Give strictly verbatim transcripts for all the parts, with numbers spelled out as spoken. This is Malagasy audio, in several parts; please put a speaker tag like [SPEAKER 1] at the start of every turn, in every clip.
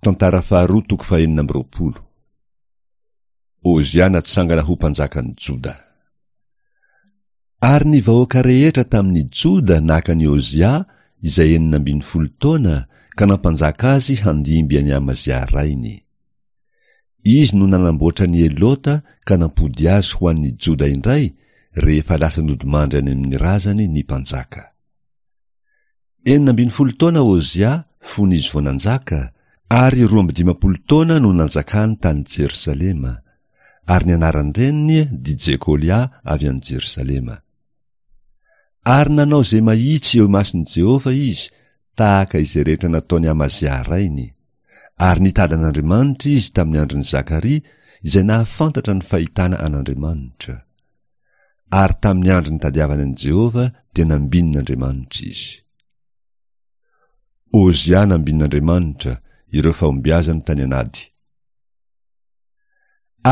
[SPEAKER 1] Tantara faharoa toko fahenina amby roapolo. Ozia natsangana ho mpanjakan'i Joda. Ary ny vahoaka rehetra tamin'i Joda naka an'i Ozia izay enina ambin'ny folo taona ka nampanjaka azy handimby an'i Amazia rainy. Izy no nanamboatra an'i Elota ka nampody azy ho an'ny Joda indray rehefa lasa nodimandry any amin'ny razany ny mpanjaka. Enina ambin'ny folo taona Ozia fony izy vao nanjaka, ary roa amby dimampolo taona no nanjakany tany Jerosalema, ary ny anaran-dreniny dia Jekolia avy any Jerosalema. Ary nanao izay mahitsy eo imason'i Jehovah izy, tahaka izay rehetra nataon'i Amazia rainy. Ary nitady an'Andriamanitra izy tamin'ny andron'i Zakaria, izay nahafantatra ny fahitana an'Andriamanitra. Ary tamin'ny andro nitadiavany an'i Jehovah dia nambinin'Andriamanitra izy. Ozia nambinin'Andriamanitra, ireo fahombiazany tany an'ady.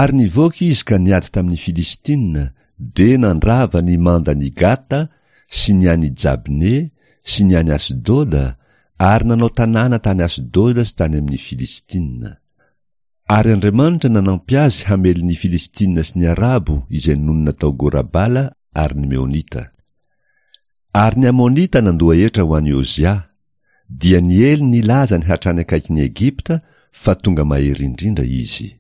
[SPEAKER 1] Ary nivoaka izy ka niady tamin'ny Filistina, dia nandrava ny mandan'i Gata sy ny an'i Jabne sy ny an'i Asdoda, ary nanao tanàna tany Asdoda sy tany amin'ny Filistina. Ary Andriamanitra nanampy azy hamely ny Filistina sy ny Arabo izay nonina tao Gorabala ary ny Meonita. Ary ny Amonita nandoa hetra ho an'i Ozia, dia niely ny lazany hatrany akaikin'i Egypta fa tonga mahery indrindra izy.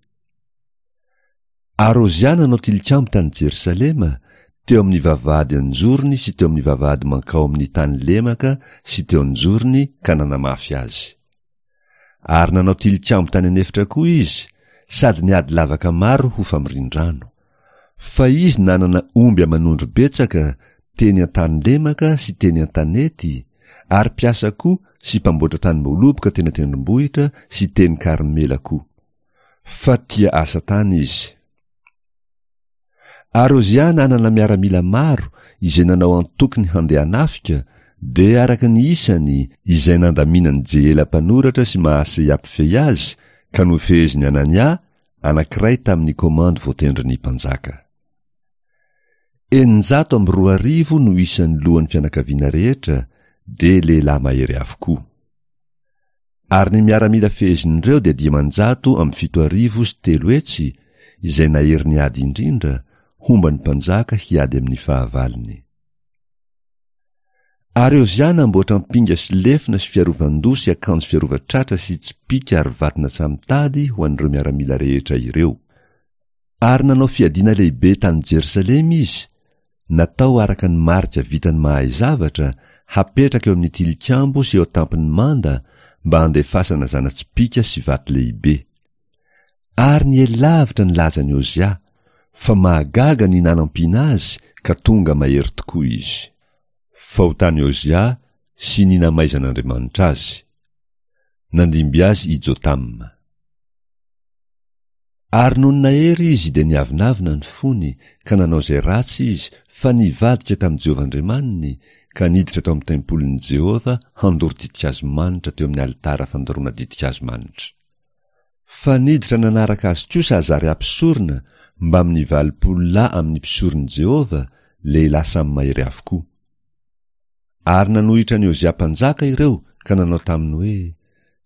[SPEAKER 1] Ary Ozia nanao tilikambo tany Jerosalema, teo amin'ny vavahady an-jorony sy teo amin'ny vavahady mankao amin'ny tany lemaka sy teo an-jorony ka nanamafy azy. Ary nanao tilikambo tany an'efitra koa izy, sady niady lavaka maro ho famorian-drano. Fa izy nanana omby aman'ondry betsaka teny an-tany lemaka sy teny an-tanety, ary mpiasa koa sy mpamboatra tanim-boaloboka teny an-tendrombohitra sy teny Karmela koa. Fa tia asa tany izy. Ary Ozia nanana miaramila maro izay nanao antokony handeha hanafika, dia araka ny isany izay nandaminan'i Jehela mpanoratra sy Mahaseia mpifehy azy, ka nofehezin'i Anania, anankiray tamin'ny komandy voatendrin'ny mpanjaka. Eninjato amby roa arivo no isan'ny lohan'ny fianakaviana rehetra, dia lehilahy mahery avokoa. Ary ny miaramila fehezin'ireo dia dimanjato amby fito arivo sy telo hetsy, izay nahery ny ady indrindra, homba ny mpanjaka hiady amin'ny fahavalony. Ary Ozia namboatra ampinga sy lefona sy fiarovan-doha sy akanjo fiarovan-tratra sy tsipìka ary vaton'antsamotady ho an'ireo miaramila rehetra ireo. Ary nanao fiadiana lehibe tany Jerosalema izy, natao araka ny marika vitan'ny mahay zavatra, hapetraka eo amin'ny tilikambo sy eo an-tampon'ny manda, mba handefasana zana-tsipìka sy vato lehibe. Ary niely lavitra ny lazan'i Ozia, fa mahagaga ny nanampiana azy ka tonga mahery tokoa izy. Fahotan'i Ozia sy ny namaizan'Andriamanitra azy. Nandimby azy i Jotama. Ary nony nahery izy dia niavonavona ny fony ka nanao izay ratsy izy fa nivadika tamin'i Jehovah Andriamaniny ka niditra tao amin'ny tempolin'i Jehovah handoro ditin-kazo manitra teo amin'ny alitara fandoroana ditin-kazo manitra. Fa niditra nanaraka azy kosa Azaria mpisorona mbamin'ny valopolo lahy amin'ny mpisoron'i Jehovah, lehilahy samy mahery avokoa. Ary nanohitra an'i Ozia mpanjaka ireo ka nanao taminy hoe,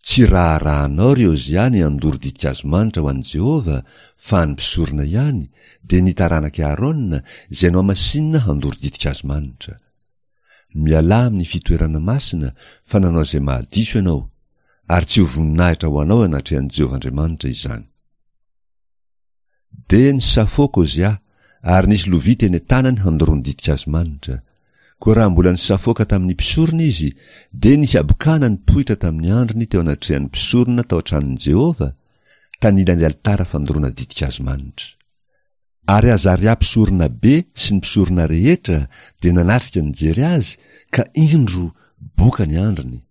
[SPEAKER 1] Tsy raharahanao, ry Ozia, ny handoro ditin-kazo manitra ho an'i Jehovah, fa an'ny mpisorona ihany, dia ny taranak'i Aharôna, izay nohamasinina handoro ditin-kazo manitra. Mialà amin'ny fitoerana masina, fa nanao izay mahadiso ianao, ary tsy ho voninahitra ho anao eo anatrehan'i Jehovah Andriamanitra izany. Dia nisafoaka Ozia, ary nisy lovia teny an-tanany handoroany ditin-kazo manitra. Koa raha mbola nisafoaka tamin'ny mpisorona izy, dia nisy habokana nipoitra tamin'ny andriny teo anatrehan'ny mpisorona tao an-tranon'i Jehovah, tanilan'ny alitara fandoroana ditin-kazo manitra. Ary Azaria mpisoronabe sy ny mpisorona rehetra dia nanatrika nijery azy, ka indro, boka ny andriny.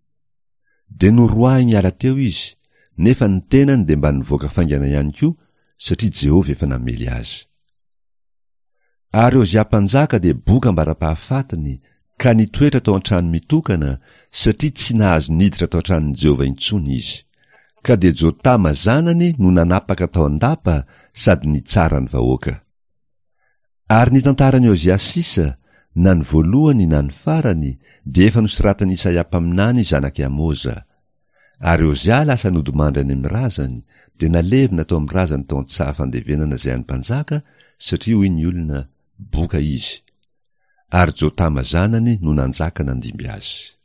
[SPEAKER 1] Dia noroahiny hiala teo izy, nefa ny tenany dia mba nivoaka faingana ihany koa, satria Jehovah efa namely azy. Ary Ozia mpanjaka dia boka ambara-pahafatiny, ka nitoetra tao an-trano mitokana, satria tsy nahazo niditra tao an-tranon'i Jehovah intsony izy. Ka dia Jotama zanany no nanapaka tao an-dapa sady nitsara ny vahoaka. Ary ny tantaran'i Ozia sisa, na ny voalohany na ny farany, dia efa nosoratan'i Isaia mpaminany zanak'i Amoza. Ary Ozia lasa nodimandry any amin'ny razany, dia nalevina tao amin'ny razany tao an-tsaha fandevenana izay an'ny mpanjaka, satria hoy ny olona, Boka izy. Ary Jotama zanany no nanjaka nandimby azy.